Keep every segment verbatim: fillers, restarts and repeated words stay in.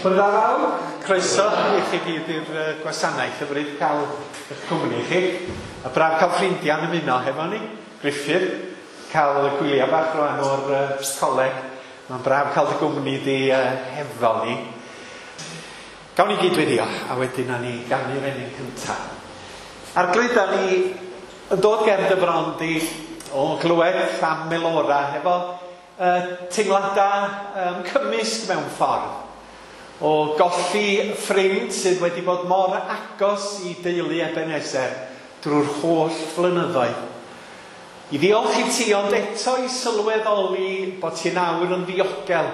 Bore da fawr, croeso i chi gyd i'r uh, gwasanaeth, hyfryd cael eich cwmni chi. A braf cael ffrindiau'n ymuno hefo ni, Griffith, cael y gwyliau bach rwan o'r uh, coleg. Mae'n braf cael dy gwmni di uh, hefo ni. Gawn ni gyd weddio, a wedyn na ni ganu'r emyn cyntaf. Arglwydd, da ni yn dod ger dy bron di o glywed am Melora hefo uh, teimladau um, cymysg mewn ffordd. O golli ffrind sydd wedi bod mor agos i deulu Ebenezer drwy'r holl flynyddoedd. I ddiolch i ti, ond eto i sylweddoli bod ti nawr yn ddiogel,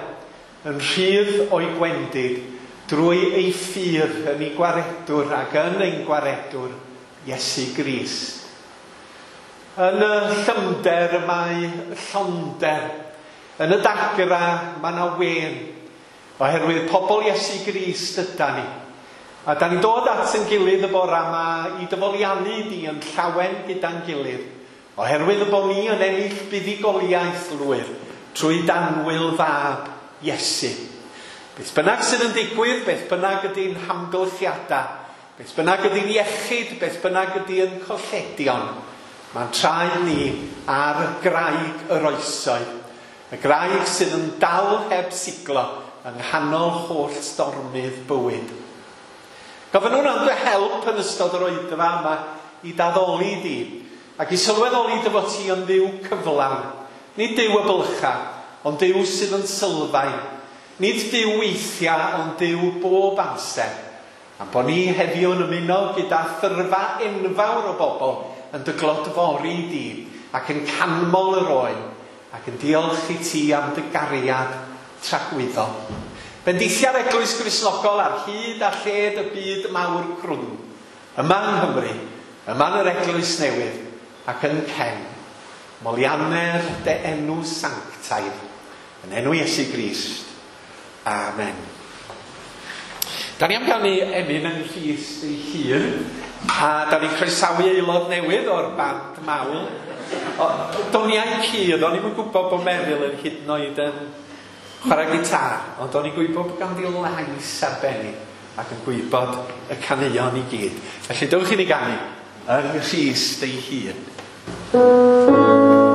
yn rhydd o'i gwendid, drwy ei ffydd yn ei gwaredwr ac yn ein gwaredwr, Iesu Grist. Yn y llymder mae llonder, yn y dagra mae yna wen, oherwydd pobl Iesu Grist yda ni. A da ni'n dod at yn gilydd y bore yma i dyfoliannu di yn llawen gyda'n gilydd, oherwydd y bod ni yn ennill buddugoliaeth lwyr trwy danwyl fab Iesu. Beth bynnag sydd yn digwydd, beth bynnag ydy'n hamgylchiadau, beth bynnag ydy'n iechyd, beth bynnag ydy'n colledion, mae'n traed ni ar graig yr oesoedd. Y graig sydd yn dal heb siglo yng nghanol holl stormydd bywyd. Gofynnwn am dy help yn ystod yr oedfa yma i daddoli di, ac i sylweddoli dy fod ti yn Dduw cyflawn. Nid Duw y bylcha, ond Duw sydd yn sylfaen. Nid Duw weithiau, ond Duw bob amser. Am bod ni heddiw yn ymuno gyda thyrfa enfawr o bobl yn dy glodfori di, ac yn canmol yr oen, ac yn diolch i ti am dy gariad tragwyddol. Bendithia'r Eglwys Gristnogol ar hyd a lled y byd mawr crwn, yma yng Nghymru, yma yn yr Eglwys Newydd, ac yn Cen. Molianner dy enw sanctaidd, yn enw Iesu Grist. Amen. Da ni am ganu emyn yng Nghrist ei hun, a da ni'n croesawu aelod newydd o'r band mawl. Doniau cudd, o'n i'm yn gwybod bod Meryl yn hyd yn oed yn chwarae gitar, ond o'n i'n gwybod bod ganddi lais arbennig ac yn gwybod y caneuon i gyd. Felly dewch i ni ganu yng Nghrist ei hun. Amen.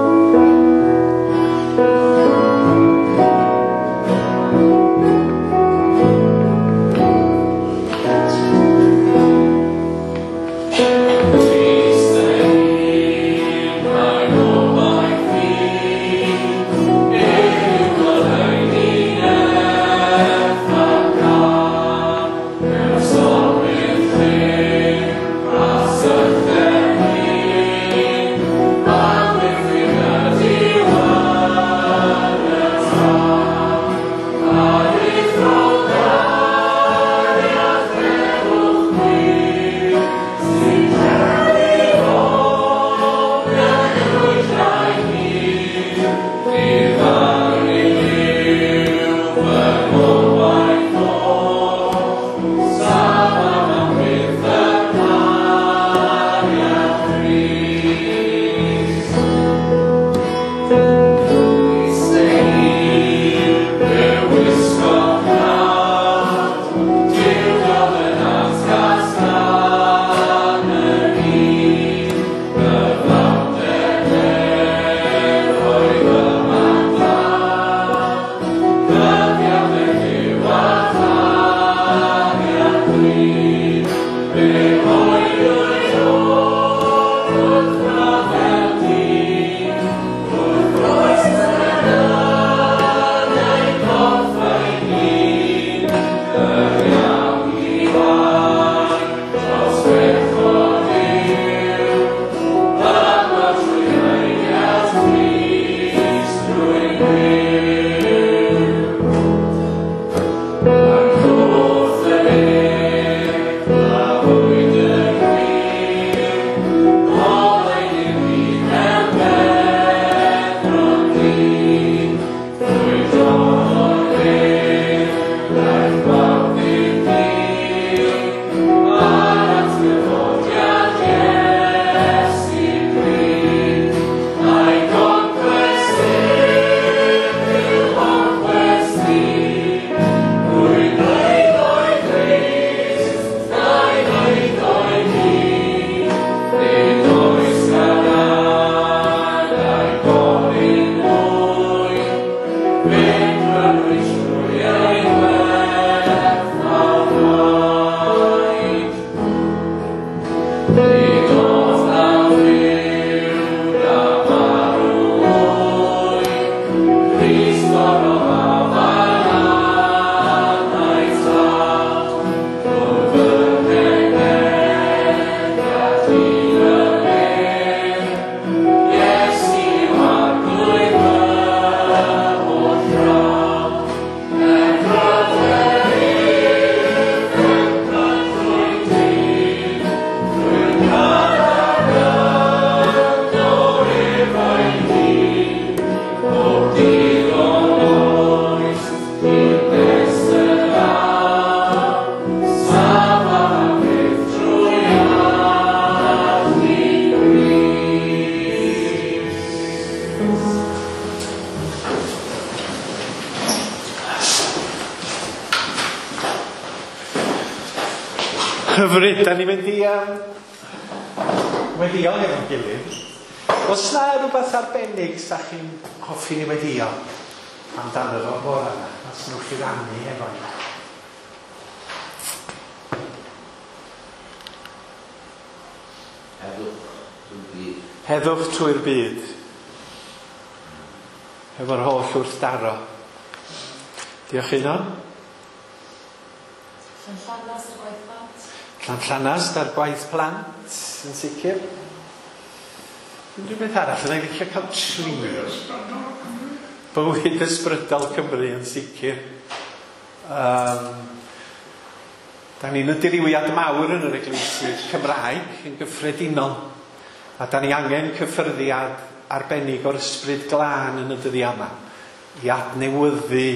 Hyfryd, da ni'n mynd i um, weddio hefo'n gilydd. Oes na rhywbeth arbennig sa chi'n hoffi ni weddio amdano fo bore yma? Os newch chi rannu efo ni. Heddwch trwy'r byd. Heddwch trwy'r byd. Hefo'r holl wrthdaro. Diolch Einon. Llanllanast a'r gwaith plant. Llanllanast a'r gwaith plant, yn sicr. Unrhyw beth arall, yna i licio cael tri. Bywyd ysbrydol Cymru yn sicr. Um, da ni'n y dirywiad mawr yn yr eglwysi Cymraeg yn gyffredinol. A da ni angen cyffyrddiad arbennig o'r ysbryd glân yn y dyddiau yma i adnewyddu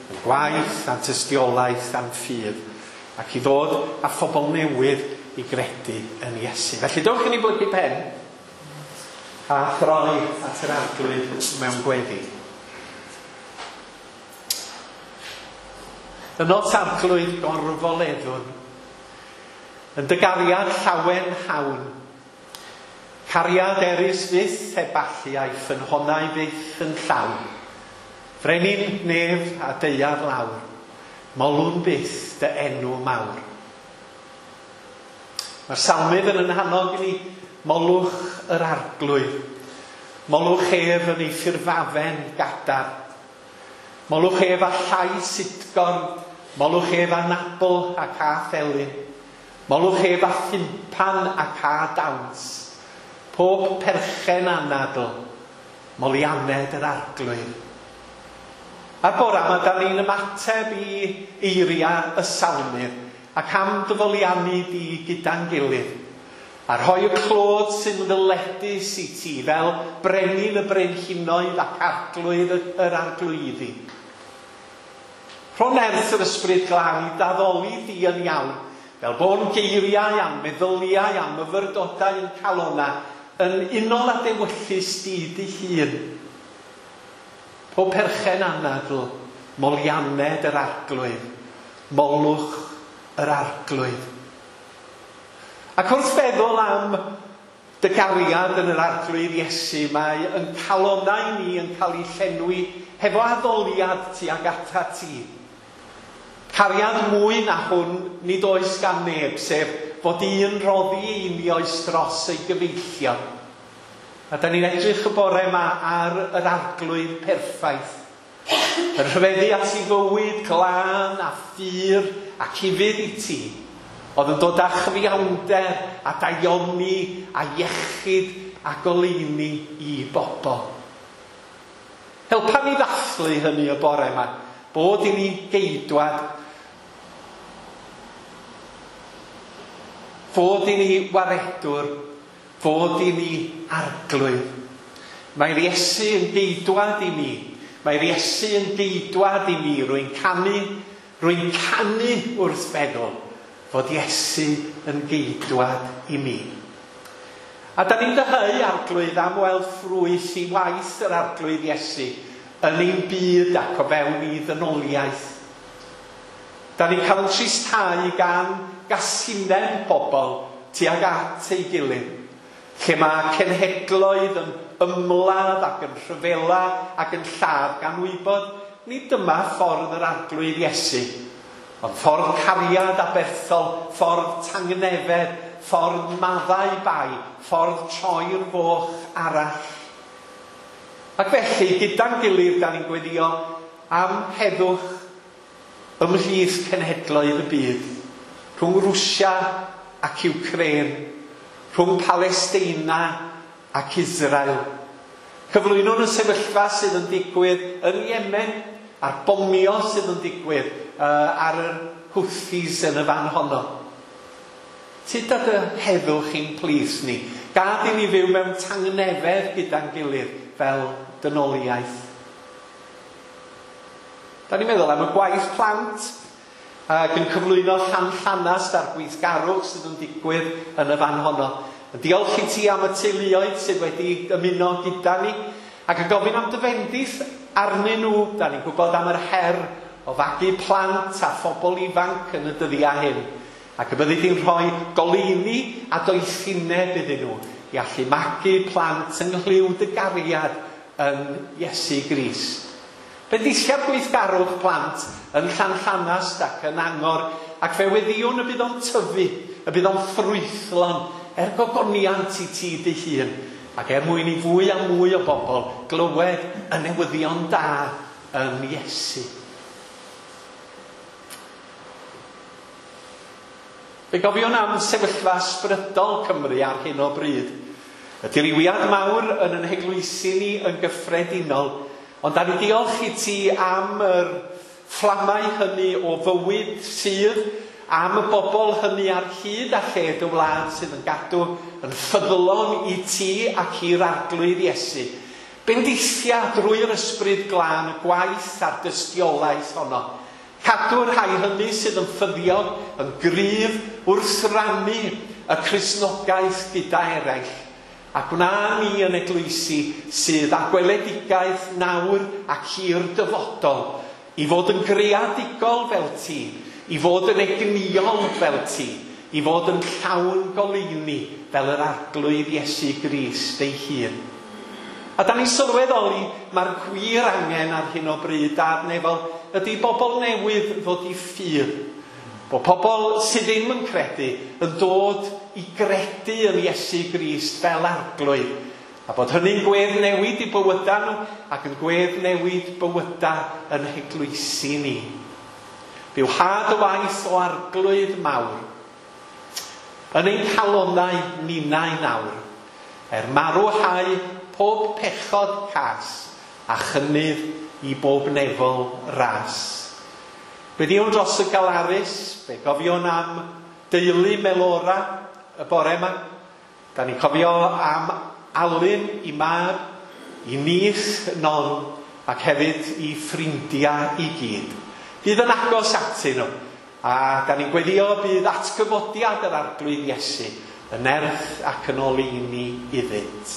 y gwaith a'n tystiolaeth a'n ffydd ac i ddod â phobl newydd i gredu yn Iesu. Felly dowch i ni blygu pen a throi at yr Arglwydd mewn gweddi. Ynot Arglwydd gorfoleddwn, yn dy gariad llawen hawn, cariad erys fyth heb allu a'i ffynhonnau fyth yn llawn, frenin nef a daear lawr, molwn byth dy enw mawr. Mae'r salmydd yn annog i ni, molwch yr Arglwydd, molwch ef yn ei ffurfafen gadar, molwch ef â llais utgorn, molwch ef â nabl ac â thelyn, molwch ef â thympan ac â dawns, pob perchen anadl, molianed yr Arglwydd. A'r bore yma, da ni'n ymateb i eiriau y salmydd ac am dyfoliannu di gyda'n gilydd, a rhoi y clod sy'n ddyledus i ti fel brenin y brenhinoedd ac arglwydd yr arglwyddi. Rho nerth yr ysbryd glân i daddoli di yn iawn, fel bo'n geiriau a'n meddyliau a'n myfyrdodau yn calona, yn unol â dewyllys di dy hun. Pob perchen anadl, molianed yr Arglwydd, molwch yr Arglwydd. Ac wrth feddwl am dy gariad yn yr Arglwydd Iesu, mae yn calonau ni yn cael ei llenwi hefo addoliad tuag atat ti. Cariad mwy na hwn nid oes gan neb, sef fod un roddi einioes dros ei gyfeillion. A da ni'n edrych y bore yma ar yr Arglwydd perffaith. Yn rhyfeddu at ei fywyd glân a phur ac ufudd i ti, oedd yn dod â chyfiawnder a daioni a iechyd a goleuni i bobl. Helpa ni ddathlu hynny y bore yma, bod i ni geidwad, fod i ni waredwr, fod i ni arglwydd. Mae'r Iesu yn geidwad i mi. Mae'r Iesu yn geidwad i mi. Rwy'n canu, rwy'n canu wrth feddwl fod Iesu yn geidwad i mi. A da ni'n dyheu Arglwydd am weld ffrwyth i waith yr Arglwydd Iesu yn ein byd ac o fewn i ddynoliaeth. Da ni'n cael yn tristhau gan gasineb pobl tuag at ei gilydd, lle mae cenhedloedd yn ymladd ac yn rhyfela ac yn lladd gan wybod nid dyma ffordd yr Arglwydd Iesu, ond ffordd cariad aberthol, ffordd tangnefedd, ffordd maddau bai, ffordd troi'r foch arall. Ac felly, gyda'n gilydd, da ni'n gweddio am heddwch ymhlith cenhedloedd y byd, rhwng Rwsia ac Ukraine, rhwng Palesteina ac Israel. Cyflwynwn y sefyllfa sydd yn digwydd yn Yemen a'r bomio sydd yn digwydd uh, ar yr Houthis yn y fan honno. Tyd â dy heddwch i'n plith ni. Gad i ni fyw mewn tangnefedd gyda'n gilydd fel dynoliaeth. Da ni'n meddwl am y gwaith plant ac yn cyflwyno Llanllanast a'r gweithgarwch sydd yn digwydd yn y fan honno. Diolch i ti am y teuluoedd sydd wedi ymuno gyda ni ac yn gofyn am dy fendith arnyn nhw. Da ni'n gwybod am yr her o fagu plant a phobl ifanc yn y dyddiau hyn. Ac y byddi di'n rhoi goleuni a doethineb iddyn nhw i allu magu plant yng nghlyw dy gariad yn Iesu Grist. Bendithia'r gweithgarwch plant yn Llanllanast ac yn Angor, ac fe weddiwn y bydd o'n tyfu, y bydd o'n ffrwythlon, er gogoniant i ti dy hun, ac er mwyn i fwy a mwy o bobl glywed y newyddion da yn Iesu. Fe gofiwn am sefyllfa ysbrydol Cymru ar hyn o bryd. Y dirywiad mawr yn ein heglwysi ni yn gyffredinol, ond da ni diolch i ti am yr fflamau hynny o fywyd sydd, am y bobl hynny ar hyd a lled y wlad sydd yn gadw yn ffyddlon i ti ac i'r Arglwydd Iesu. Bendithia drwy'r ysbryd glân y gwaith a'r dystiolaeth honno. Cadw'r rhai hynny sydd yn ffyddiog yn gryf wrth rannu y Cristnogaeth gyda eraill. A gwna ni yn eglwysi sydd â gweledigaeth nawr ac i'r dyfodol, i fod yn greadigol fel ti, i fod yn egnïol fel ti, i fod yn llawn goleuni fel yr Arglwydd Iesu Grist ei hun. A da ni'n sylweddoli mae'r gwir angen ar hyn o bryd Dad nefol ydy bobl newydd ddod i ffydd. Bod pobl sydd ddim yn credu yn dod i gredu yn Iesu Grist fel Arglwydd. A bod hynny'n gwedd newid i bywydau nhw ac yn gwedd newid bywydau yn heglwysi ni. Byw had y waith o Arglwydd mawr yn ein calonnau ninnau nawr, er marw hau pob pechod cas a chynnydd i bob nefol ras. Gweddiwn dros y galarus, fe gofiwn am deulu Melora y bore yma. Da ni'n cofio am Alun i mab, i nith Non, ac hefyd i ffrindiau i gyd. Bydd yn agos atyn nhw, a da ni'n gweddio bydd atgyfodiad yr Arglwydd Iesu yn nerth ac yn oleuni iddynt.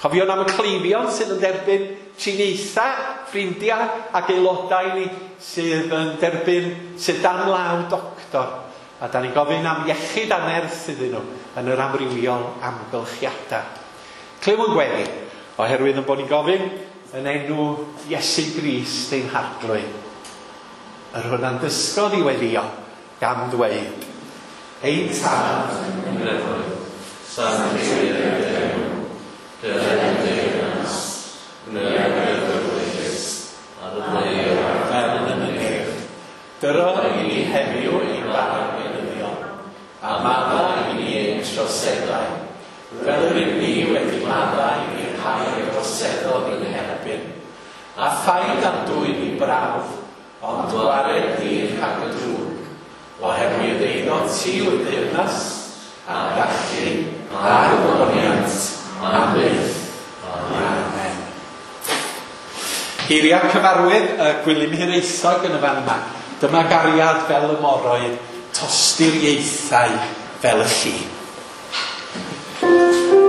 Cofiwn am y cleifion sydd yn derbyn triniaethau, ffrindiau ac aelodau ni sydd yn derbyn sydd dan law doctor. A da ni'n gofyn am iechyd a nerth iddyn nhw yn yr amrywiol amgylchiadau. Clywn gweddi, oherwydd yn bod ni'n gofyn yn enw Iesu Grist ein Harglwydd. Yr hwn a'n dysgodd i weddio gan ddweud, Ein Tad yn y nefoedd, sancteidded dy enw, dyled dy deyrnas, gwneud dy ewyllys, ar y ddaear fel yn y nef. Dyro i ni heddiw ein bara beunyddiol, a maddau i ni ein troseddau, fel yr ydym ni wedi maddau i'r rhai a droseddodd i'n herbyn. A phaid â'n dwyn i brawf, ond gwared ni rhag y drwg, oherwydd eiddo ti yw'r deyrnas, a'r gallu, a'r gogoniant, am byth. Amen. Geiriau cyfarwydd y Gwilym Hiraethog yn y fan yma. Dyma gariad fel y moroedd, tosturiaethau fel y lli. Thank you.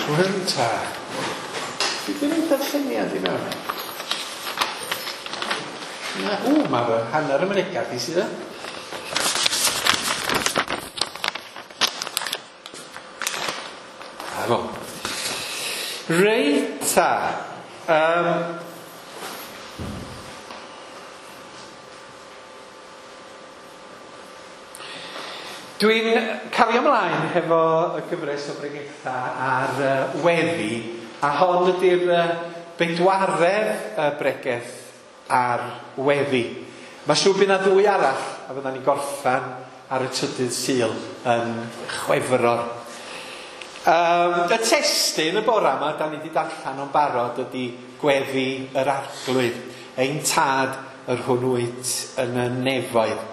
Rwy'n ta. Dwi ddim yn darlleniad i mewn. Na, ww, mae fy hanner y mynegad i sydd e. A fo. Reit ta. Um, Dwi'n cario ymlaen hefo y gyfres o bregetha ar uh, weddi, a hon ydy'r uh, bedwaredd uh, bregeth ar weddi. Mae siŵr bydd 'na ddwy arall, a fyddan ni'n gorffan ar y trydydd Sul yn Chwefror. Um, y testun y bora yma, da ni wedi darllen o'n barod, ydy Gweddi yr Arglwydd, ein tad yr hwn wyt yn y nefoedd.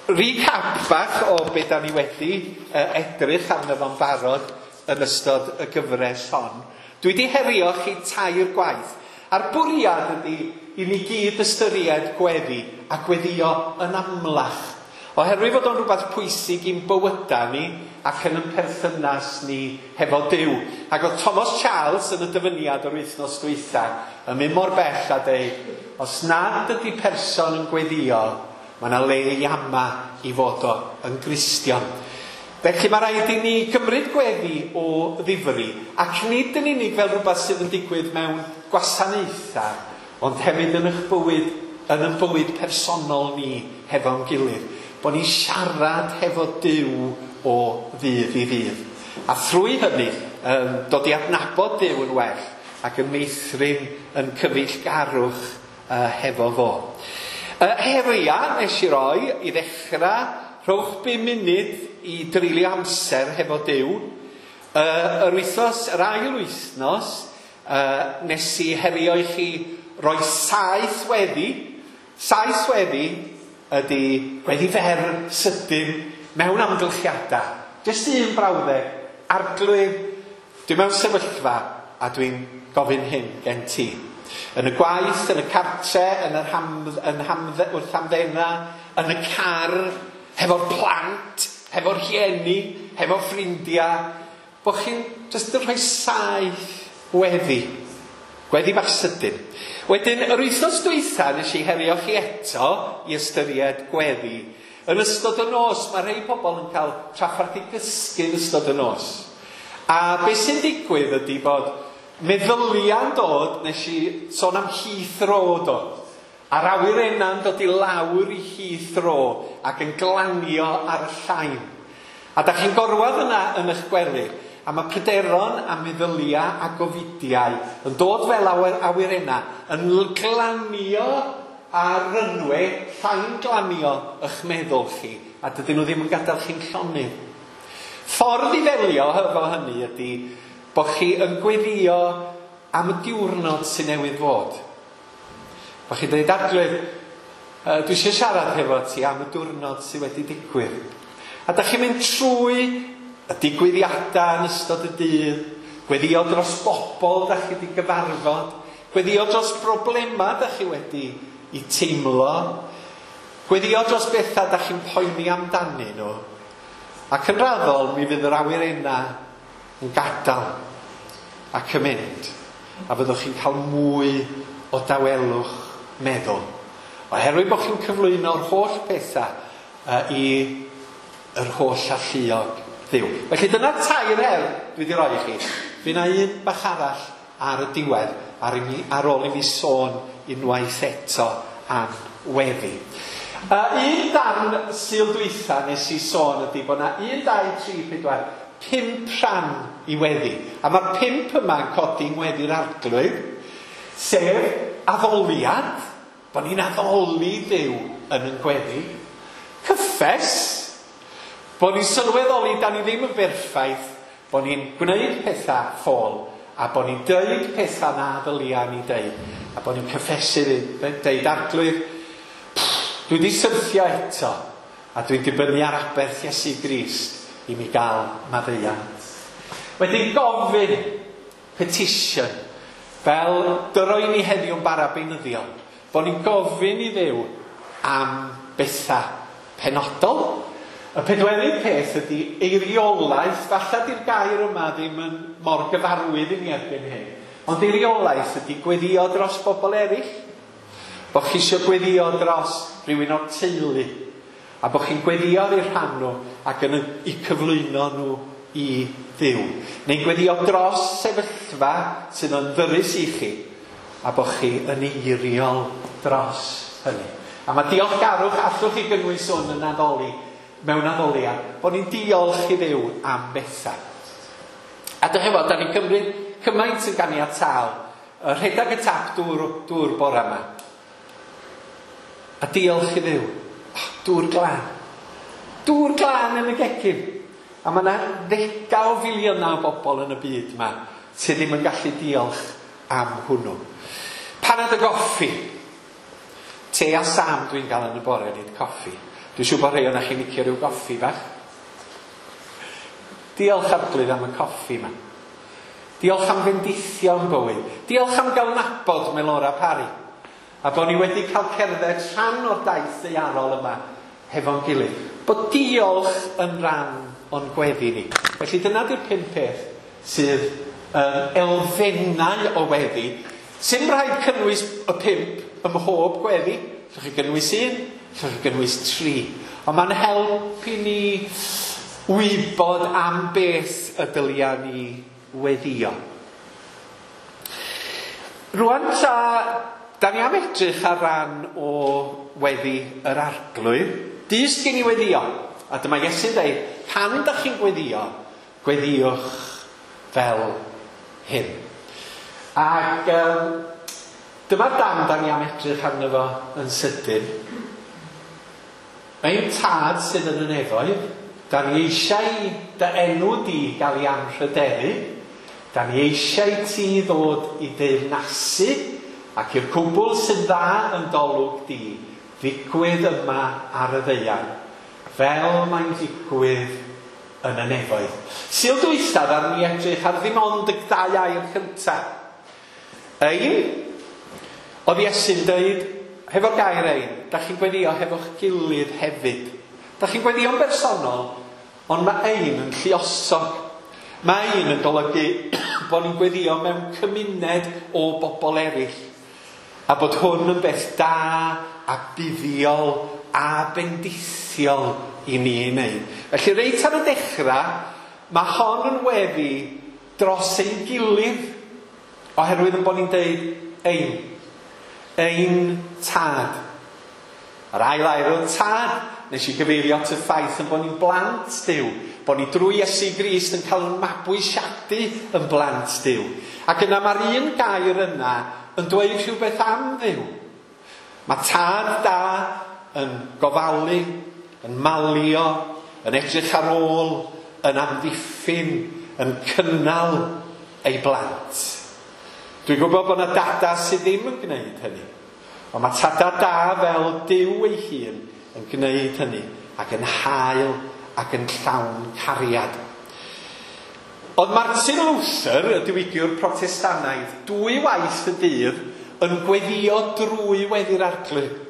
Recap bach o beth da ni wedi uh, edrych arno fo'n barod yn ystod y gyfres hon. Dwi wedi herio chi tair gwaith. A'r bwriad ydy i ni gyd ystyried gweddi a gweddio yn amlach. Oherwydd fod o'n rhywbeth pwysig i'n bywydau ni ac yn ein perthynas ni hefo Duw. Ac oedd Thomas Charles yn y dyfyniad o'r wythnos dwytha yn mynd mor bell a deud, os nad ydy person yn gweddio, mae yna le i ama i fod o yn Gristion. Felly mae rhaid i ni gymryd gweddi o ddifri, ac nid yn unig fel rhywbeth sydd yn digwydd mewn gwasanaethau, ond hefyd yn eich bywyd, yn ein bywyd personol ni hefo'n gilydd. Bod ni'n siarad hefo Duw o ddydd i ddydd. A thrwy hynny, um, dod i adnabod Duw yn well ac yn meithrin yn cyfeillgarwch uh, hefo fo. Uh, heria nes i roi i ddechrau, rhowch bum munud i dreulio amser hefo Duw. Uh, yr wythnos, yr ail wythnos, uh, nes i herio i chi roi saith weddi. Saith weddi ydy gweddi fer sydyn mewn amgylchiadau. Jyst un brawddeg, Arglwydd, dwi mewn sefyllfa a dwi'n gofyn hyn gen ti. Yn y gwaith, yn y cartre, yn yr hamdd, yn hamdd, wrth hamddena, yn y car, hefo'r plant, hefo'r rhieni, hefo ffrindiau, bod chi'n jyst yn rhoi saith weddi. Gweddi bach sydyn. Wedyn, yr wythnos dwytha nes i herio chi eto i ystyried gweddi. Yn ystod y nos, mae rhai pobl yn cael trafferth i gysgu yn ystod y nos. A beth sy'n digwydd ydy bod meddyliau'n dod, nes i sôn am Heathrow do. A'r awyrenna'n dod i lawr i Heathrow ac yn glanio ar y llain. A da chi'n gorwedd yna yn eich gwely, a mae pryderon a meddyliau a gofidiau yn dod fel awyr awyrenna, yn glanio ar runway, llain glanio eich meddwl chi, a dydyn nhw ddim yn gadael chi'n llonydd. Ffordd i ddelio hefo hynny ydy bod chi yn gweddio am y diwrnod sy'n newydd fod. Bod chi'n dweud, Arglwydd, uh, dwi eisiau siarad hefo ti am y diwrnod sydd wedi digwydd. A da chi'n mynd trwy y digwyddiadau yn ystod y dydd, gweddio dros bobl da chi wedi gyfarfod, gweddio dros broblemau da chi wedi i teimlo, gweddio dros bethau da chi'n poeni amdanyn nhw. Ac yn raddol, mi fydd yr awyrenna yn gadael ac yn mynd, a fyddwch chi'n cael mwy o dawelwch meddwl. Oherwydd bod chi'n cyflwyno'r holl pethau uh, i yr holl alluog Dduw. Felly dyna tair her dwi wedi roi i chi. Fydd 'na un bach arall ar y diwedd, ar, i mi, ar ôl i mi sôn unwaith eto am weddi. Uh, un darn Sul dwytha nes i sôn ydy bod 'na un, dau, tri, pedwar, pump rhan i weddi. A mae'r pump yma yn codi yng ngweddi'r Arglwydd, sef addoliad, bod ni'n addoli Duw yn yn gweddi, cyffes, bod ni'n sylweddoli da ni ddim yn berffaith, bod ni'n gwneud pethau ffôl, a bod ni'n deud pethau na ddylia ni deud, a bod ni'n cyffesu, deud Arglwydd, dwi wedi syrthio eto, a dwi'n dibynnu ar aberth Iesu Grist i mi gael maddeuant. Wedyn gofyn, petition, fel dyroi ni heddiw'n bara beunyddiol, bod ni'n gofyn i Dduw am bethau penodol, Y pedwerydd peth ydy eiriolaeth. Falle di'r gair yma ddim yn mor gyfarwydd i ni erbyn hyn. Ond eiriolaeth ydy gweddio dros bobl eraill. Bo chi eisiau gweddio dros rhywun o'r teulu. A bo chi'n gweddio ar eu rhan nhw ac yn eu cyflwyno nhw i Dduw. Neu'n gweddio dros sefyllfa sydd yn ddyrus i chi. A bo chi yn eiriol dros hynny. A mae diolchgarwch, allwch chi gynnwys hwn yn addoli, mewn addoliad, bod ni'n diolch i Dduw am bethau. A dych chi'n fod, da ni'n cymryd cymaint yn ganiataol, rhedeg y tap dŵr, dŵr bore yma. A diolch i Dduw. Oh, dŵr glân. Dŵr glân yn y gegin. A mae yna ddegau o filiynau o bobl yn y byd yma sydd ddim yn gallu diolch am hwnnw. Panad y goffi. Te a Sam dwi'n gael yn y bore, nid coffi. Dwi'n siŵr bod rhai o'na chi'n licio rhyw goffi bach. Diolch Arglwydd am y coffi yma. Diolch am fendithio yn bywyd. Diolch am gael nabod Melora Parry. A bod ni wedi cael cerdded rhan o'r daith ddaearol yma hefo'n gilydd. Bod diolch yn rhan o'n gweddi ni. Felly dyna di'r pum peth sydd yn elfennau o weddi. Sy'n rhaid cynnwys y pump ym mhob gweddi. Allwch chi gynnwys un, allwch chi gynnwys tri. Ond mae'n help i ni wybod am beth y dylia ni weddio. Rwan ta, da ni am edrych ar ran o weddi yr Arglwydd. Dysg gen i weddio. A dyma Iesu'n dweud, pan da chi'n gweddio, gweddiwch fel hyn. Ac um, dyma'r dam da ni am edrych arno fo yn sydyn. Ein tad sydd yn y nefoedd, da ni eisiau dy enw di gael ei anrhydeddu, da ni eisiau ti ddod i deyrnasu, ac i'r cwbl sy'n dda yn dolwg di, ddigwydd yma ar y ddaear, fel mae'n digwydd yn y nefoedd. Sul dwytha ddaru ni edrych ar ddim ond y dau air cyntaf. Ein, oedd Iesu'n dweud, hefo'r gair ein, da chi'n gweddio hefo'ch gilydd hefyd. Da chi'n gweddio'n bersonol, ond mae ein yn lluosog. Mae ein yn golygu bod ni'n gweddio mewn cymuned o bobl eraill. A bod hwn yn beth da a buddiol a bendithiol i ni ei wneud. Felly reit ar y dechrau, mae hon yn weddi dros ein gilydd, oherwydd yn bod ni'n deud ein. Ein tad. Yr ail air o tad, nes i gyfeirio at y ffaith yn bod ni'n blant Duw, bod ni drwy Iesu Grist yn cael ein mabwysiadu yn blant Duw. Ac yna mae'r un gair yna yn dweud rhywbeth am Dduw. Mae tad da yn gofalu, yn malio, yn edrych ar ôl, yn amddiffyn, yn cynnal ei blant. Dwi'n gwybod bod yna dada sydd ddim yn gwneud hynny. Ond mae tada da fel Duw ei hun yn gwneud hynny ac yn hael ac yn llawn cariad. Oedd Martin Luther, y diwygiwr Protestannaidd, dwy waith y dydd yn gweddio drwy weddi'r Arglwydd.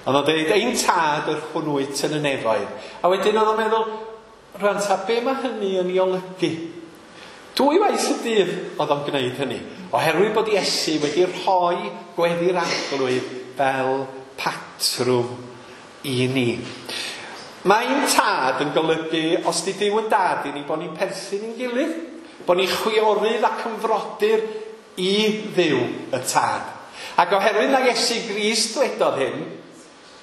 Oedd o'n dweud, ein tad yr hwn wyt yn y nefoedd. A wedyn oedd o'n meddwl, rwan ta, be mae hynny yn ei olygu? Dwy waith y dydd oedd o'n gwneud hynny, oherwydd bod Iesu wedi rhoi gweddi'r Arglwydd fel patrwm i ni. Mae'n tad yn golygu, os di Duw yn dad i ni, bod ni'n perthyn i'n gilydd, bod ni'n chwiorydd ac yn frodyr i Dduw y tad. Ac oherwydd na Iesu Grist dwedodd hyn,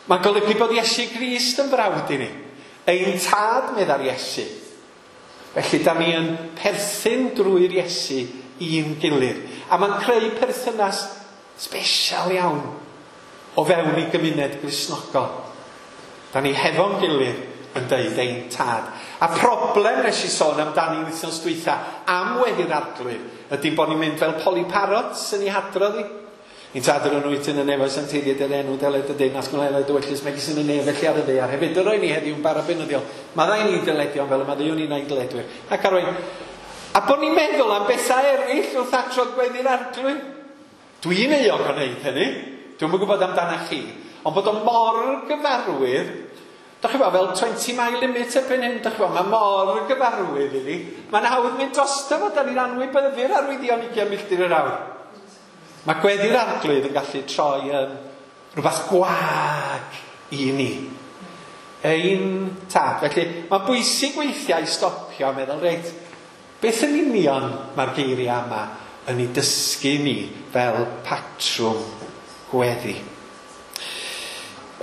mae'n golygu bod Iesu Grist yn frawd i ni. Ein tad, meddai'r Iesu. Felly, da ni yn perthyn drwy'r Iesu i'n gilydd. A mae'n creu perthynas sbesial iawn o fewn i gymuned Gristnogol. Da ni hefo'n gilydd yn deud ein tad. A problem nes i sôn amdani wythnos dwytha am weddi'r Arglwydd ydy bod ni'n mynd fel Polly Parrots yn ei hadrodd i. Ein tad yr wyt yn y nefoedd, sancteiddied yr enw, deled y deyrnas, gwneled dy ewyllys, megis yn y nef, felly ar y ddaear. Hefyd y roi ni heddiw'n bara beunyddiol. Maddau ni dyledion fel y maddeuwn ni na'n dyledwyr. Ac arwain. A bod ni'n meddwl am bethau eraill wrth adrodd gweddi'r Arglwydd. Dwi'n euog o wneud hynny. Dwi'm yn gwybod amdana chi. Ond bod o mor gyfarwydd, Dach chi fel twenty mile limit erbyn hyn, dach chi mae mor gyfarwydd iddi. Mae'n hawdd mynd drosto fo, da ni'n anwybyddu'r arwyddion ugain milltir yr awr. Mae gweddi'r Arglwydd yn gallu troi yn rhywbeth gwag i ni. Ein tad. Felly, mae'n bwysig weithiau i stopio a meddwl, reit, beth yn union mae'r geiriau yma yn ei dysgu ni fel patrwm gweddi?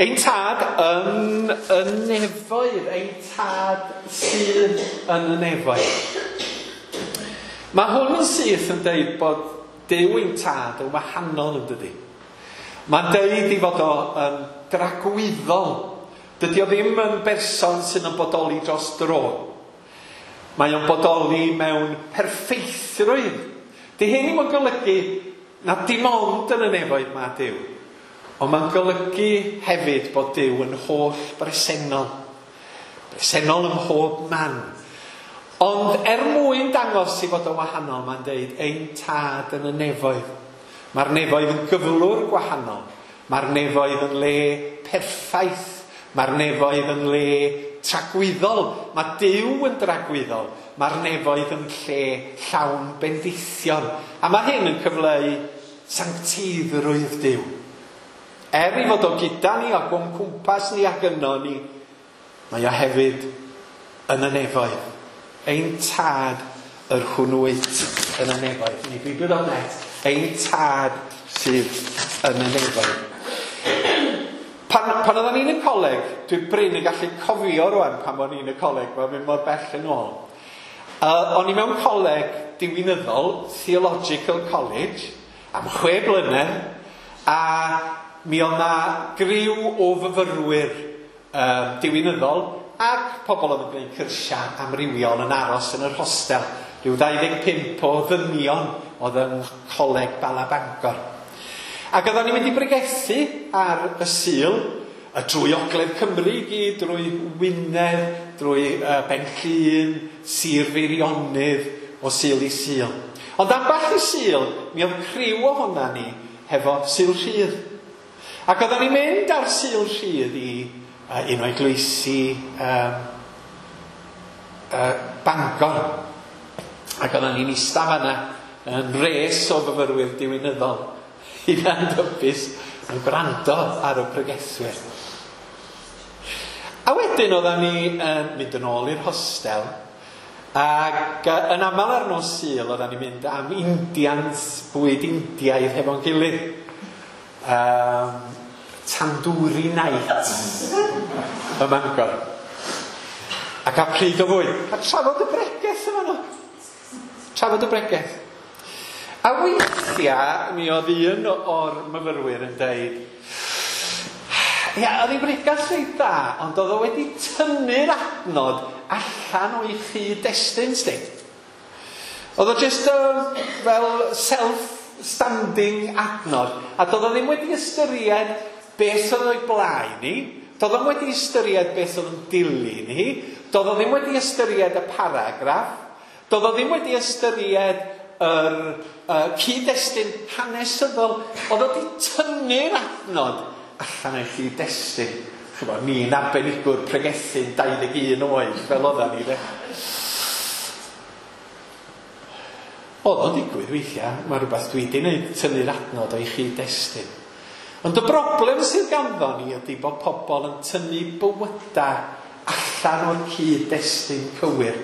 Ein tad yn y nefoedd, ein tad sydd yn y nefoedd. Mae hwn yn syth yn deud bod Duw ein tad yn wahanol yn dydi. Mae'n deud i fod o yn dragwyddol. Dydy o ddim yn berson sydd yn bodoli dros dro. Mae o'n bodoli mewn perffeithrwydd. Di hyn ddim yn golygu na dim ond yn y nefoedd mae Duw. Ond mae'n golygu hefyd bod Duw yn holl bresennol. Bresennol ym mhob man. Ond er mwyn dangos i fod yn wahanol, mae'n deud ein tad yn y nefoedd. Mae'r nefoedd yn gyflwr gwahanol. Mae'r nefoedd yn le perffaith. Mae'r nefoedd yn le tragwyddol. Mae Duw yn dragwyddol. Mae'r nefoedd yn lle llawn bendithion. A mae hyn yn cyfleu sancteiddrwydd Duw. Er i fod o gyda ni ac o'n cwmpas ni ac yno ni, mae o hefyd yn y nefoedd. Ein tad yr hwn wyt yn y nefoedd. Ni Beibl dot net. Ein tad sydd yn y nefoedd. Pan, pan oedden ni'n y coleg, dwi'n brin yn gallu cofio rwan pan o'n i'n y coleg, mae'n mynd mor bell yn ôl. Uh, o'n i mewn coleg diwinyddol, Theological College, am chwe blynedd, a mi oedd na griw o fyfyrwyr um, diwinyddol ac pobl oedd yn gwneud cyrsiau amrywiol yn aros yn yr hostel. Rhyw dau ddeg pump o ddynion oedd yn Coleg Bala Bangor. Ac oedden ni'n mynd i bregethu ar y Sul, y drwy Ogledd Cymru i gyd, drwy Wynedd, drwy uh, Ben Llŷn, Sir Feirionnydd, o Sul i Sul. Ond ambell i Sul, mi oedd criw ohona ni hefo Sul Rhydd. Ac oedden ni'n mynd ar Sul Rhydd i uh, un o eglwysi um, uh, Bangor. Ac oedden ni'n eista fanna yn res o fyfyrwyr diwinyddol hunan-dybus yn gwrando ar y pregethwyr. A wedyn oedden ni yn mynd yn ôl i'r hostel, ac yn aml ar nos Sul oedden ni'n mynd am Indians, bwyd Indiaidd hefo'n gilydd. Um, tandoori night ym Mangor. A cael pryd o fwyd. A trafod y bregeth yma nhw. Trafod y bregeth. A weithiau, mi oedd un o'r myfyrwyr yn deud, ia, oedd hi'n bregeth reit dda, ond oedd o wedi tynnu'r adnod allan o'i chyd-destun, sti. Oedd o just uh, fel self-standing adnod, a doedd o ddim wedi ystyried beth oedd o'i blaen ni, doedd o'n wedi ystyried beth oedd yn dilyn hi, doedd o ddim wedi ystyried y paragraff, doedd o ddim wedi ystyried yr uh, cyd-destun hanesyddol. Oedd o wedi tynnu'r adnod allan o'i chyd-destun. Ch'mod, ni'n arbenigwr pregethu'n dau ddeg un oed, fel oeddan ni, de. Oedd o'n digwydd weithiau, mae rhywbeth dwi wedi gwneud, tynnu'r adnod o'i chyd-destun. Ond y broblem sydd ganddo ni ydy bod pobl yn tynnu bywydau allan o'r cyd-destun cywir.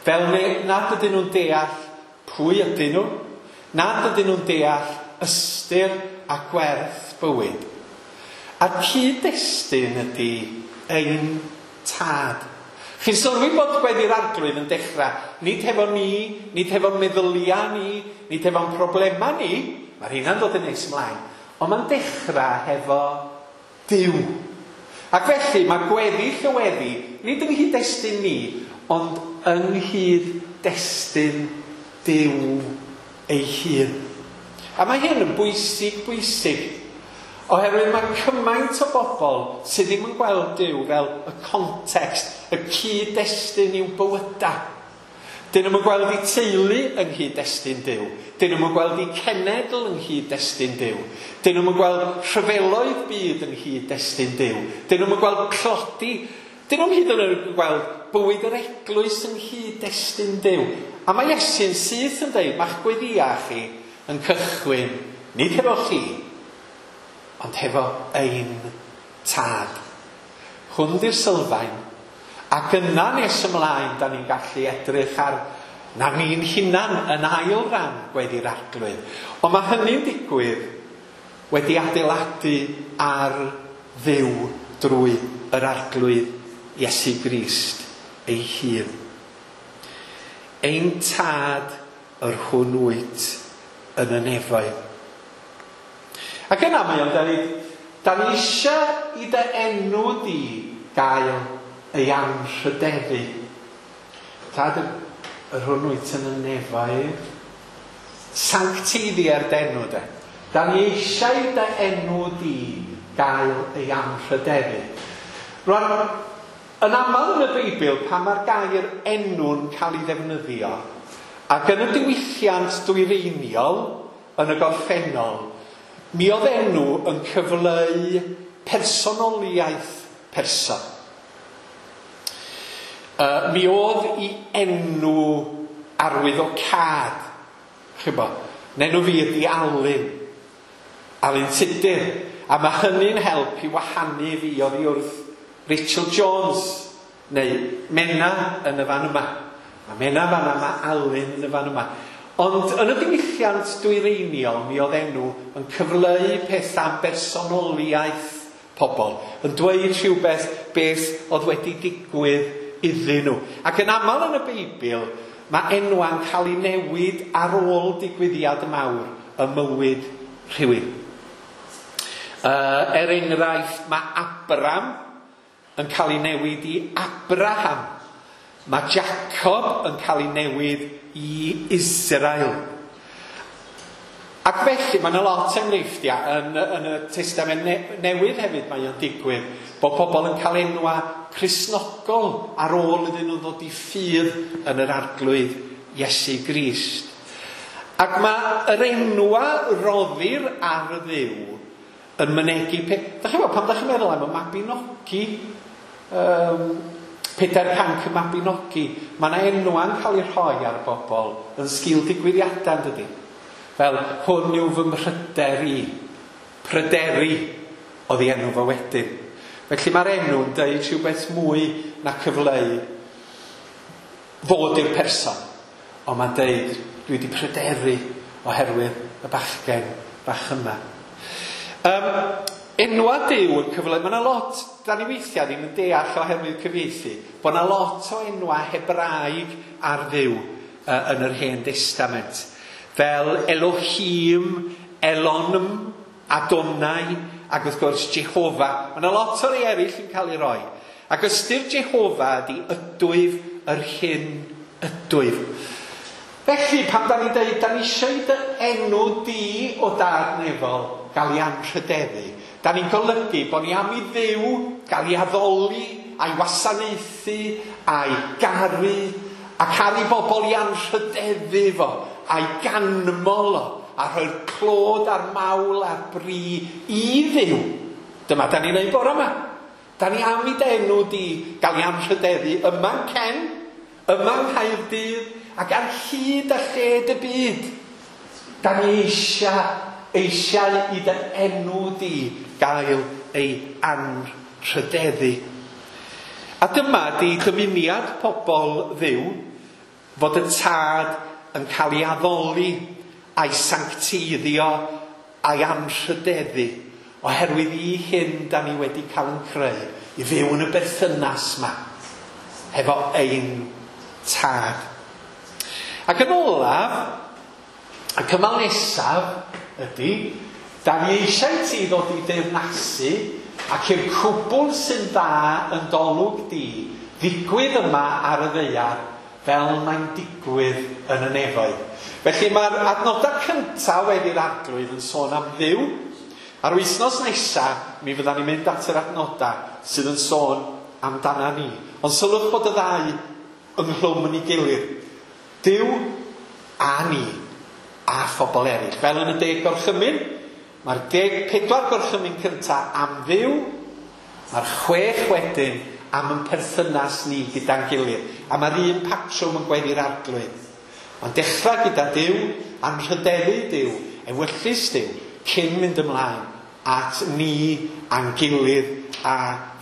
Fel nad ydyn nhw'n deall pwy ydyn nhw, nad ydyn nhw'n deall ystyr a gwerth bywyd. A'r cyd-destun ydy ein tad. Chi'n sylwi bod gweddi'r Arglwydd yn dechrau, nid hefo ni, nid hefo'n meddyliau ni, nid hefo'n problemau ni, mae'r hynna'n dod yn nes ymlaen, ond mae'n dechrau hefo Duw. Ac felly mae gweddi llyweddi, nid yng nghyd-destun ni, ond yng nghyd-destun Duw ei hun. A mae hyn yn bwysig, bwysig, oherwydd mae cymaint o bobl sydd ddim yn gweld Duw fel y context, y cyd-destun i'w bywydau. Dyn nhw'n gweld eu teulu yng nghyd-destun Duw. Dyn nhw'n gweld eu cenedl yng nghyd-destun Duw. Dyn nhw'n gweld rhyfeloedd byd yng nghyd-destun Duw. Dyn nhw'n gweld tlodi. Dyn nhw'n hyd yn oed yn gweld bywyd yr eglwys yng nghyd-destun Duw. A mae Iesu'n syth yn dweud, mae'ch gweddïau chi yn cychwyn, nid hefo chi, ond hefo ein tad. Hwn di'r sylfaen. Ac yna nes ymlaen, da ni'n gallu edrych ar na ni'n hunan yn ail ran gweddi'r Arglwydd. Ond mae hynny'n digwydd wedi adeiladu ar Dduw drwy yr Arglwydd Iesu Grist ei hun. Ein tad yr hwn wyt yn y nefoedd. Ac yna mae o'n dweud, da ni eisiau i dy enw di gael ei anrhydeddu. Tad yr hwn wyt yn y nefoedd, sancteiddier d'enw de. Da ni eisiau i dy enw di gael ei anrhydeddu. Rwan, yn aml yn y Beibl, pan mae'r gair enw'n cael ei ddefnyddio, ac yn y diwylliant dwyreiniol, yn y gorffennol, mi oedd enw yn cyfleu personoliaeth person. Uh, mi oedd i enw arwyddocâd. Chi'bo, enw fi ydi Alun. Alun Tudur. A mae hynny'n help i wahanu fi oddi wrth Rachel Jones, neu Mena yn y fan yma. Mae Mena fan yma, mae Alun yn y fan yma. Ond yn y diwylliant dwyreiniol, mi oedd enw yn cyfleu pethau am bersonoliaeth pobl, yn dweud rhywbeth beth oedd wedi digwydd iddyn nhw. Ac yn aml yn y Beibl, mae enwa'n cael ei newid ar ôl digwyddiad mawr y mywyd rhywun. Uh, er enghraifft, mae Abram yn cael ei newid i Abraham. Mae Jacob yn cael ei newid i Israel. Ac felly, mae yna lot enghreifftiau yn, yn y Testament ne Newydd hefyd mae o'n digwydd, bod pobl yn cael enwa Cristnogol ar ôl iddyn nhw ddod i ffydd yn yr Arglwydd Iesu Grist. Ac mae yr enwa roddir ar y Dduw yn mynegi peth. Da chi'n gwybod, pam da chi'n meddwl am y Mabinogi, um, Pedair Canc y Mabinogi, mae yna enwa'n cael ei rhoi ar bobl yn sgil digwyddiadau, dydy? Fel, hwn yw fy mhryder i. Pryderi oedd ei enw fo wedyn. Felly mae'r enw'n deud rhywbeth mwy na cyfleu fod i'r person. Ond mae'n deud, dwi wedi pryderu oherwydd y bachgen bach yma. Um, enwa Duw yn cyfleu, mae yna lot, da ni weithiau ddim yn deall oherwydd cyfieithu, bod yna lot o enwa Hebraeg ar Dduw uh, yn yr Hen Testament. Fel Elohim, Elonim, Adonai, ac wrth gwrs Jehofa. Mae yna lot o rei eraill yn cael ei roi. Ac ystyr Jehofa ydy ydwyf yr hyn ydwyf. Felly, pan da ni'n dweud, da ni eisiau dy enw di o dad nefol gael ei anrhydeddu, da ni'n golygu bod ni am i Dduw gael ei addoli, a'i wasanaethu, a'i garu, a cael ei bobl i anrhydeddu fo, a'i ganmol o, a rhoi'r clod a'r mawl a'r bri i Dduw. Dyma da ni'n neud bore yma. Da ni am i dy enw di gael ei anrhydeddu yma'n Cen, yma'n Nghaerdydd, ac ar hyd a lled y byd. Da ni eisiau, eisiau i dy enw di gael ei anrhydeddu. A dyma di dymuniad pobl Dduw, fod y tad yn cael ei addoli a'i sancteiddio a'i anrhydeddu, oherwydd i hyn da ni wedi cael yn creu, i fyw yn y berthynas ma, hefo ein tad. Ac yn olaf, y cymal nesaf ydy, da ni eisiau ti ddod i deyrnasu ac i'r cwbl sy'n dda yn dolwg di ddigwydd yma ar y ddaear fel mae'n digwydd yn y nefoedd. Felly mae'r adnodau cyntaf wedi'r Arglwydd yn sôn am Dduw. A'r wythnos nesaf, mi fyddan ni'n mynd at yr adnodau sydd yn sôn amdana ni. Ond sylwch bod y ddau ynghlwm yn ei gilydd. Duw a ni a phobl eraill. Fel yn y deg gorchymyn, mae'r deg pedwar gorchymyn cyntaf am Dduw, mae'r chwech wedyn am yn perthynas ni gyda'n gilydd. A mae'r un patrwm yn gweddi'r Arglwydd. Mae'n dechrau gyda Duw, anrhydeddu Duw, ewyllys Duw, cyn mynd ymlaen at ni a'n gilydd a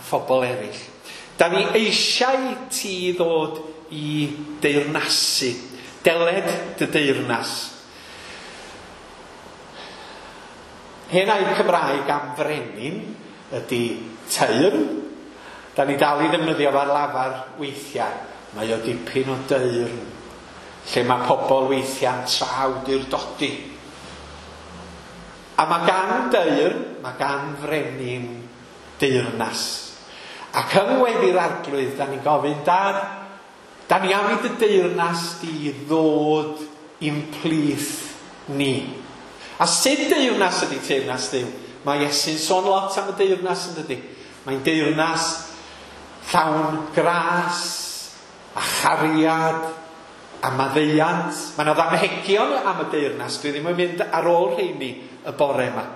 phobl eraill. Da ni eisiau ti ddod i deyrnasu. Deled dy deyrnas. Hen air Cymraeg am frenin ydy teyrn. Da ni dal i ddefnyddio fo'r lafar weithiau. Mae o dipyn o deyrn, lle mae pobl weithiau'n trawdurdodi. A mae gan deyrn, mae gan frenin deyrnas. Ac yng ngweddi'r Arglwydd, da ni'n gofyn, Dad, da ni am i dy deyrnas di ddod i'n plith ni. A sut deyrnas ydy teyrnas Duw? Mae Iesu'n sôn lot am y deyrnas yn dydy. Mae'n deyrnas llawn gras a chariad a maddeuant. Mae yna ddamhegion am y deyrnas. Dwi ddim yn mynd ar ôl rheini y bore yma.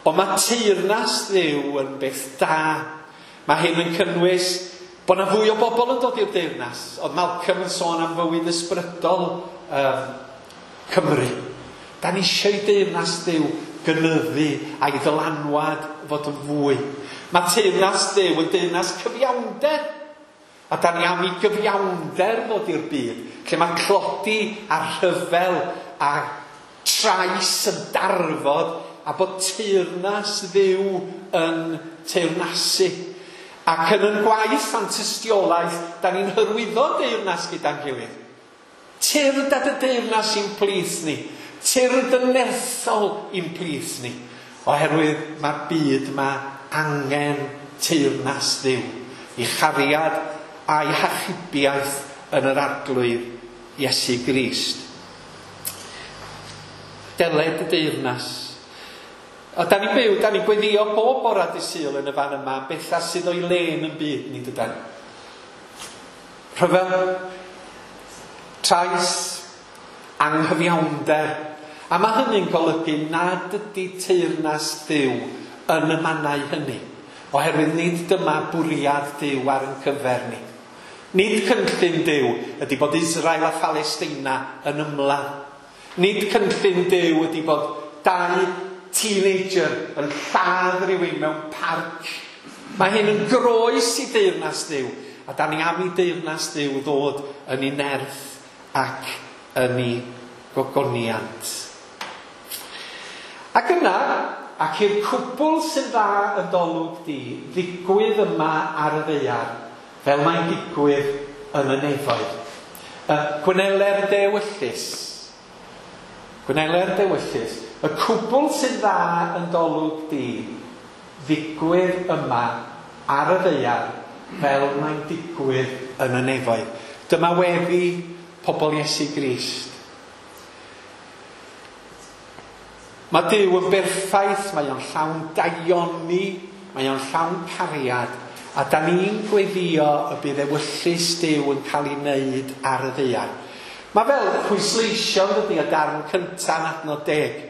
Ond mae teyrnas Dduw yn beth da. Mae hyn yn cynnwys bod yna fwy o bobl yn dod i'r deyrnas. Oedd Malcolm yn sôn am fywyd ysbrydol um, Cymru. Da ni eisiau i deyrnas Duw gynyddu a'i ddylanwad fod yn fwy. Mae teyrnas Duw yn deyrnas cyfiawnder. A da ni am i gyfiawnder ddod i'r byd, lle mae tlodi a rhyfel a trais yn darfod a bod teyrnas Dduw yn teyrnasu. Ac yn yn gwaith a'n tystiolaeth, da ni'n hyrwyddo deyrnas gyda'n gilydd. Tyrd at y deyrnas i'n plith ni. Tyrd yn nerthol i'n plith ni. Oherwydd mae'r byd yma angen teyrnas Dduw i chariad a'i hachubiaeth yn yr Arglwydd Iesu Grist. Deled y deyrnas. A da ni'n byw, da ni'n gweddio bob bora dydd Sul yn y fan yma, bethau sydd o'i le yn y byd ni dydan. Rhyfel, trais, anghyfiawnder. A mae hynny'n golygu nad ydy teyrnas Duw yn y mannau hynny. Oherwydd nid dyma bwriad Duw ar ein cyfer ni. Nid cynllun Duw ydy bod Israel a Phalesteina yn ymladd. Nid cynllun Duw ydy bod dau teenager yn lladd rhywun mewn parc. Mae hyn yn groes i deyrnas Duw. A da ni am i deyrnas Duw ddod yn ei nerth ac yn ei gogoniant. Ac yna, ac i'r cwbl sy'n dda yn dolwg di, ddigwydd yma ar y ddaear, fel mae'n digwydd yn y nefoedd. Gweneler dewyllys. Gweneler dewyllys. Y cwbl sy'n dda yn dolwg di, ddigwydd yma ar y ddaear, fel mae'n digwydd yn y nefoedd. Dyma weddi pobl Iesu Grist. Mae Duw yn berffaith, mae o'n llawn daioni, mae o'n llawn cariad, a da ni'n gweddio y bydd ewyllys Duw yn cael ei wneud ar y ddaear. Mae fel pwysleisio yn dydi y darn cyntaf yn adnod deg.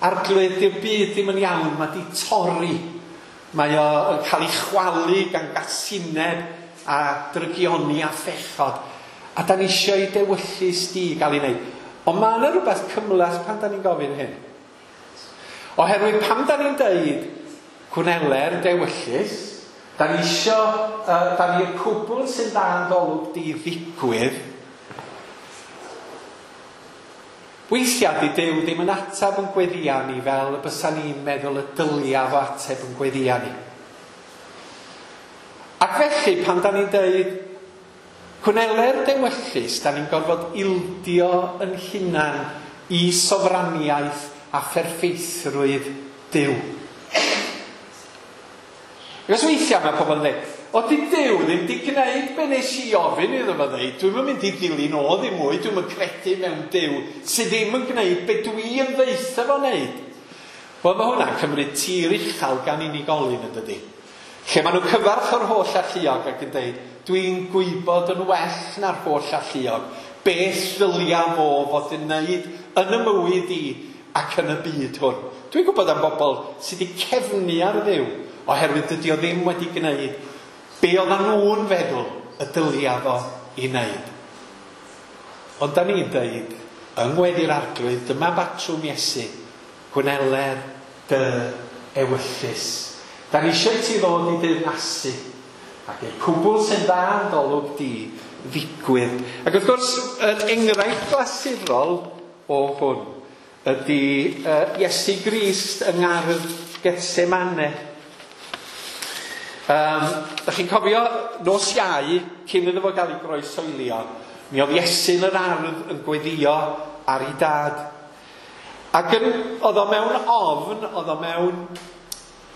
Arglwydd, di'r byd ddim yn iawn, mae di torri. Mae o yn cael ei chwalu gan gasineb a drygioni a phechod. A da ni eisiau i dewyllys di gael ei wneud. Ond mae yna rhywbeth cymhleth pan da ni'n gofyn hyn. Oherwydd pan da ni'n deud gwneler dewyllys, da ni isio, uh, da ni'r cwbl sy'n dda yn golwg di ddigwydd, weithiau di Duw ddim yn ateb yn gweddia ni fel y bysa ni'n meddwl y dylia fo ateb yn gweddia ni. Ac felly pan da ni'n deud gwneler dewyllys, da ni'n gorfod ildio yn hunan i sofraniaeth a pherffeithrwydd Duw. Achos weithiau mae pobl yn dweud, o di Duw ddim di gwneud be nes i ofyn iddo fo ddeud, dwi'm yn mynd i ddilyn o ddim mwy, dwi'm yn credu mewn Duw sydd ddim yn gwneud be dwi yn ddeutha fo wneud. Wel, mae hwnna'n cymryd tir uchel gan unigolyn yn dydi. Lle maen nhw'n cyfarch o'r holl alluog ac yn dweud, dwi'n gwybod yn well na'r holl alluog, Beth ddylia fo fod yn wneud yn y mywyd i ac yn y byd hwn. Dwi'n gwybod am bobl sydd wedi cefnu ar Dduw oherwydd dydy o ddim wedi gwneud be oedden nhw'n feddwl y dylia fo i wneud. Ond da ni'n dweud, yng ngweddi'r Arglwydd, dyma batrwm Iesu, gweler dy ewyllys. Da ni eisiau ti ddod i deyrnasu, ac i'r cwbl sy'n dda yn dolwg di ddigwydd. Ac wrth gwrs, yr enghraifft glasurol o hwn ydy uh, Iesu Grist yng ngardd Gethsemane. Um, da chi'n cofio nos Iau, cyn iddo fo gael ei groeshoelio, mi oedd Iesu yn yr ardd yn gweddïo ar ei dad. Ac yn, oedd o mewn ofn, oedd o mewn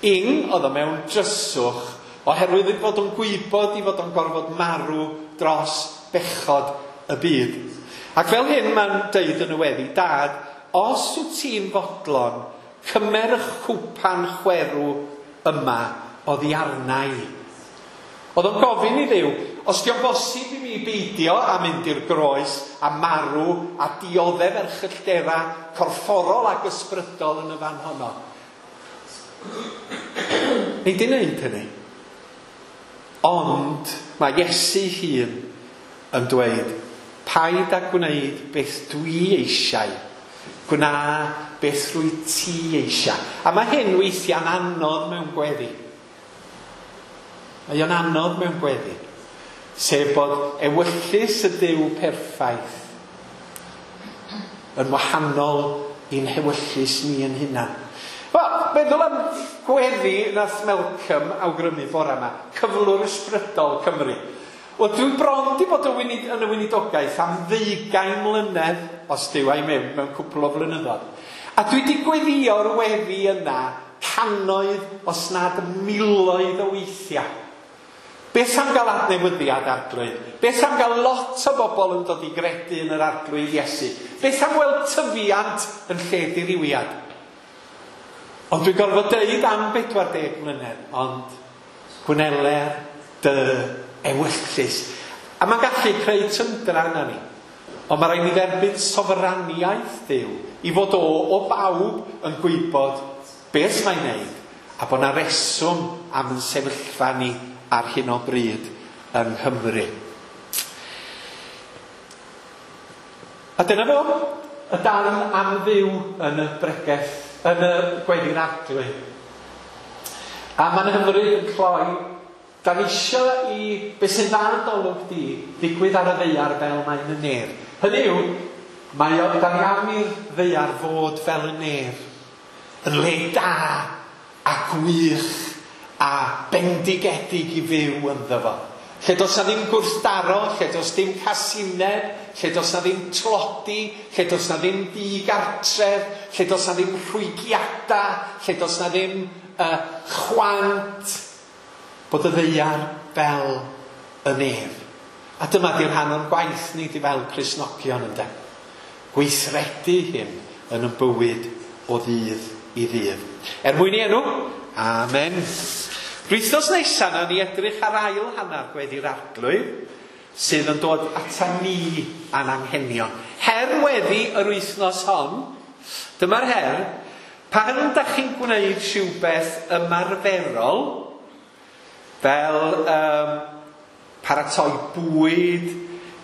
ing, oedd o mewn dryswch, oherwydd ei fod o'n gwybod i fod o'n gorfod marw dros bechod y byd. Ac fel hyn mae'n deud yn y weddi, Dad, os wyt ti'n fodlon, cymer y chwpan chwerw yma oddi arna i. Oedd o'n gofyn i Dduw, os dio'n bosib i mi beidio a mynd i'r groes a marw a dioddef erchylltera corfforol ac ysbrydol yn y fan honno. Nei di wneud hynny. Ond mae Iesu hun yn dweud, paid â gwneud beth dwi eisiau, gwna beth rwy ti eisiau. A mae hyn weithiau'n anodd mewn gweddi. Mae o'n anodd mewn gweddi. Sef bod ewyllys y Duw perffaith yn wahanol i'n hewyllys ni yn hunan. Wel, meddwl am gweddi nath Malcolm awgrymu bore yma, cyflwr ysbrydol Cymru. Wel, dwi bron di bod yn y weinidogaeth am ddeugain mlynedd, os Duw a'i mewn, mewn cwpl o flynyddoedd. A dwi wedi gweddïo'r weddi yna cannoedd, os nad miloedd o weithiau. Beth am gael adnewyddiad Arglwydd? Beth am gael lot o bobl yn dod i gredu yn yr Arglwydd Iesu? Beth am weld tyfiant yn lle dirywiad? Ond dwi'n gorfod deud am bedwar deg mlynedd, ond gwneler dy ewyllys. A mae'n gallu creu tyndra yna ni. Ond mae rhaid ni dderbyn sofraniaeth Duw i fod o, o bawb yn gwybod beth mae'n neud a bod na reswm am yn sefyllfa ni ar hyn o bryd yng Nghymru. A dyna fo, y darn am Dduw yn y bregeth, yn y gweddi'r Arglwydd. A mae'n hyfryd yn cloi, da ni eisiau i beth sy'n dda yn dolwg di ddigwydd ar y ddaear fel mae'n y nef. Hynny yw, mae o, da ni am i'r ddaear fod fel y nef, yn le da a gwych a bendigedig i fyw ynddo fo. Lle does na ddim gwrthdaro, lle does dim casineb, lle does na ddim tlodi, lle does na ddim digartref, lle does na ddim rhwygiada, lle does na ddim uh, chwant, bod y ddaear fel y nef. A dyma di'r rhan o'n gwaith ni di fel Cristnogion ynde. Gweithredu hyn yn y bywyd o ddydd i ddydd. Er mwyn i enw, amen. Wythnos nesaf nawn ni edrych ar ail hanner gweddi'r Arglwydd sydd yn dod ata ni a'n anghenion. Her weddi yr wythnos hon, dyma'r her, pan da chi'n gwneud rhywbeth ymarferol, fel um, paratoi bwyd,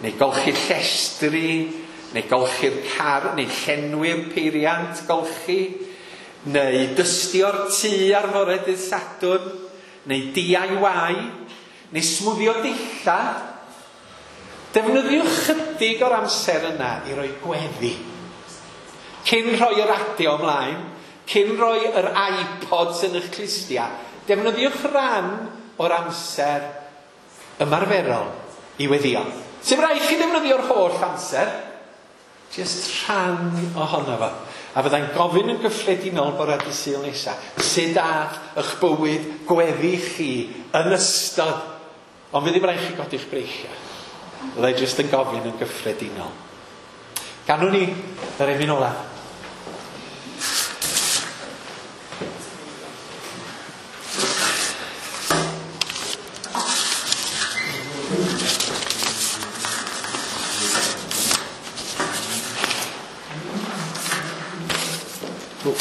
neu golchi llestri, neu golchi'r car, neu llenwi'r peiriant golchi, neu dystio'r tŷ ar fore dydd Sadwrn, neu D I Y, neu smwddio dillad. Defnyddiwch chydig o'r amser yna i roi gweddi. Cyn rhoi y radio ymlaen, cyn rhoi yr iPods yn eich clustiau, defnyddiwch ran o'r amser ymarferol i weddio. Sy'n rhaid chi ddefnyddio'r holl amser, jyst rhan ohono fo. A fyddai'n gofyn yn gyffredinol bore dydd Sul nesaf, sut ath eich bywyd gweddi chi yn ystod, ond fydd ddim rhaid chi godi'ch breichiau. Fyddai jyst yn gofyn yn gyffredinol. Ganwn ni yr emyn olaf. Dw.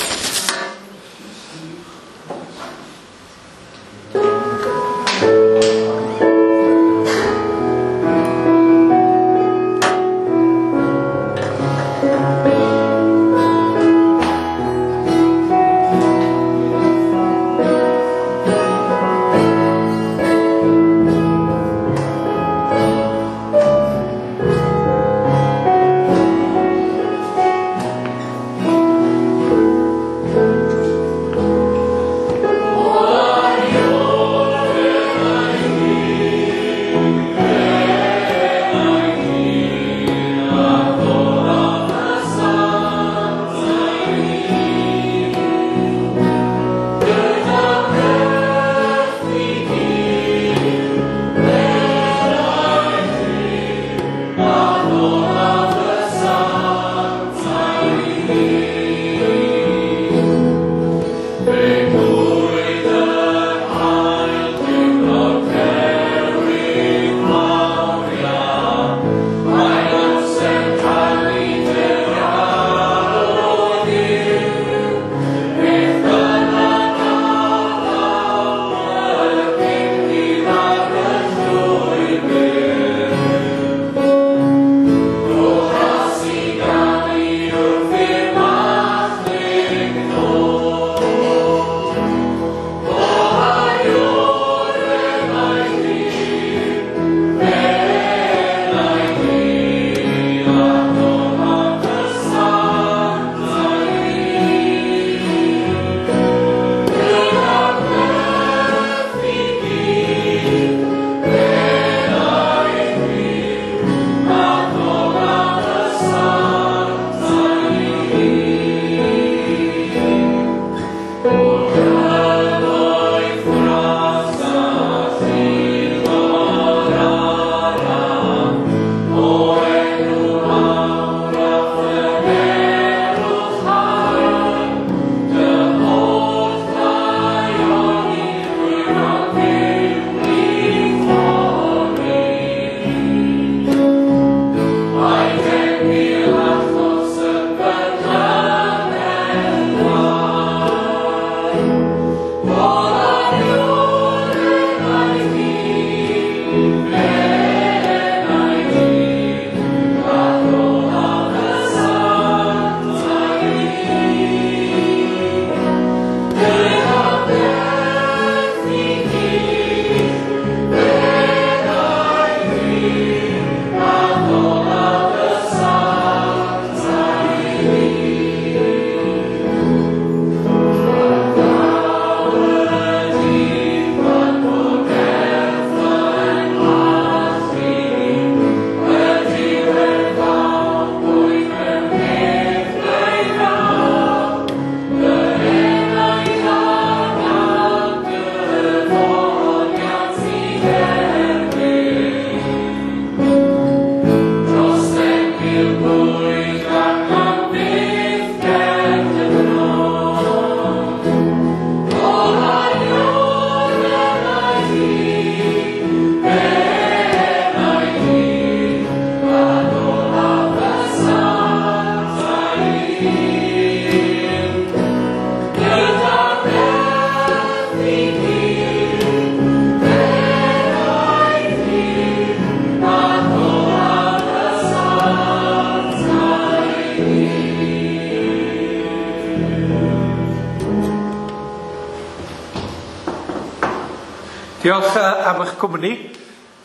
Diolch am eich cwmni,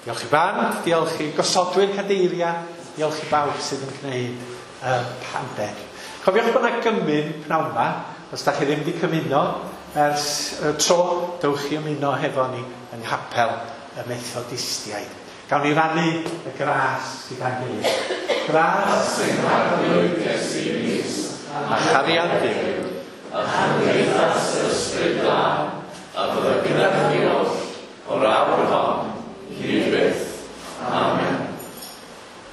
diolch i band, diolch i gosodwyr cadeiriau, diolch i bawb sydd yn gwneud uh, panded. Cofiwch bod yna gymun pnawn yma, os da chi ddim wedi cymuno ers uh, tro, dewch i ymuno hefo ni yng Nghapel y Methodistiaid. Gawn ni rannu y gras gyda'n gilydd. Gras sy'n Arglwydd Iesu Grist, a chariad Duw, a chymdeithas yr Ysbryd Glân, a fydda gyda chi oll o'r awr hon, hyd